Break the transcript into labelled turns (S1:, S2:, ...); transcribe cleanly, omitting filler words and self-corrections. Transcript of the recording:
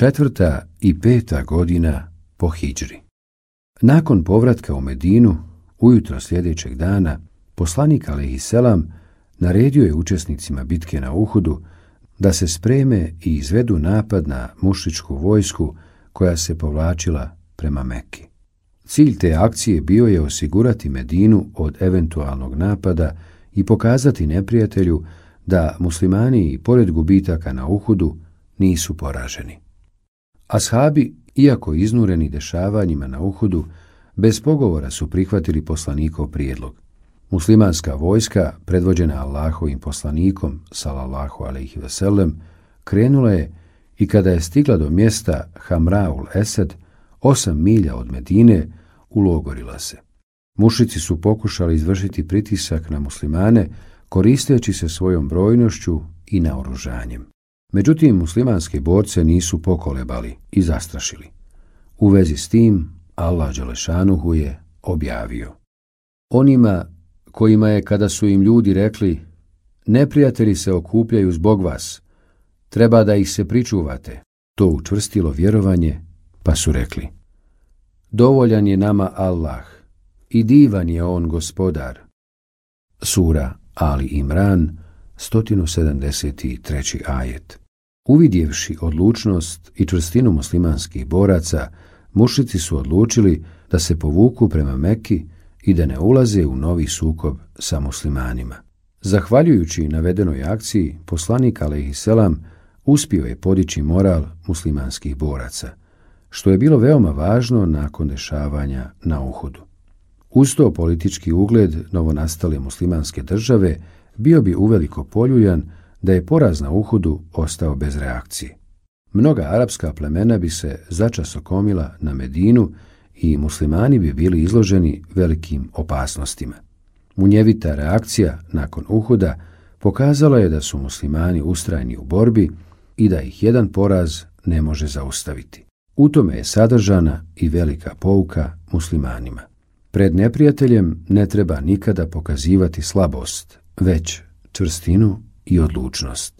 S1: 4. i 5. godina po hidžri. Nakon povratka u Medinu, ujutro sljedećeg dana, poslanik alejhiselam naredio je učesnicima bitke na Uhudu da se spreme i izvedu napad na mušričku vojsku koja se povlačila prema Mekki. Cilj te akcije bio je osigurati Medinu od eventualnog napada i pokazati neprijatelju da muslimani i pored gubitaka na Uhudu nisu poraženi. Ashabi, iako iznureni dešavanjima na Uhudu, bez pogovora su prihvatili poslanikov prijedlog. Muslimanska vojska, predvođena Allahovim poslanikom, sallallahu alejhi ve sellem, krenula je i kada je stigla do mjesta Hamraul Esed, 8 milja od Medine, ulogorila se. Mušici su pokušali izvršiti pritisak na muslimane, koristeći se svojom brojnošću i naoružanjem. Međutim, muslimanske borce nisu pokolebali i zastrašili. U vezi s tim, Allah dželešanuhu je objavio: onima kojima je, kada su im ljudi rekli: neprijatelji se okupljaju zbog vas, treba da ih se pričuvate, to učvrstilo vjerovanje, pa su rekli: dovoljan je nama Allah i divan je on gospodar. Sura Ali Imran, 173. ajet. Uvidjevši odlučnost i čvrstinu muslimanskih boraca, mušrici su odlučili da se povuku prema Mekki i da ne ulaze u novi sukob sa muslimanima. Zahvaljujući navedenoj akciji, poslanik alejhiselam uspio je podići moral muslimanskih boraca, što je bilo veoma važno nakon dešavanja na Uhudu. Uz to politički ugled novonastale muslimanske države bio bi uveliko poljuljan da je poraz na Uhudu ostao bez reakcije. Mnoga arapska plemena bi se začas okomila na Medinu i muslimani bi bili izloženi velikim opasnostima. Munjevita reakcija nakon Uhuda pokazala je da su muslimani ustrajni u borbi i da ih jedan poraz ne može zaustaviti. U tome je sadržana i velika pouka muslimanima. Pred neprijateljem ne treba nikada pokazivati slabost, već čvrstinu i odlučnost.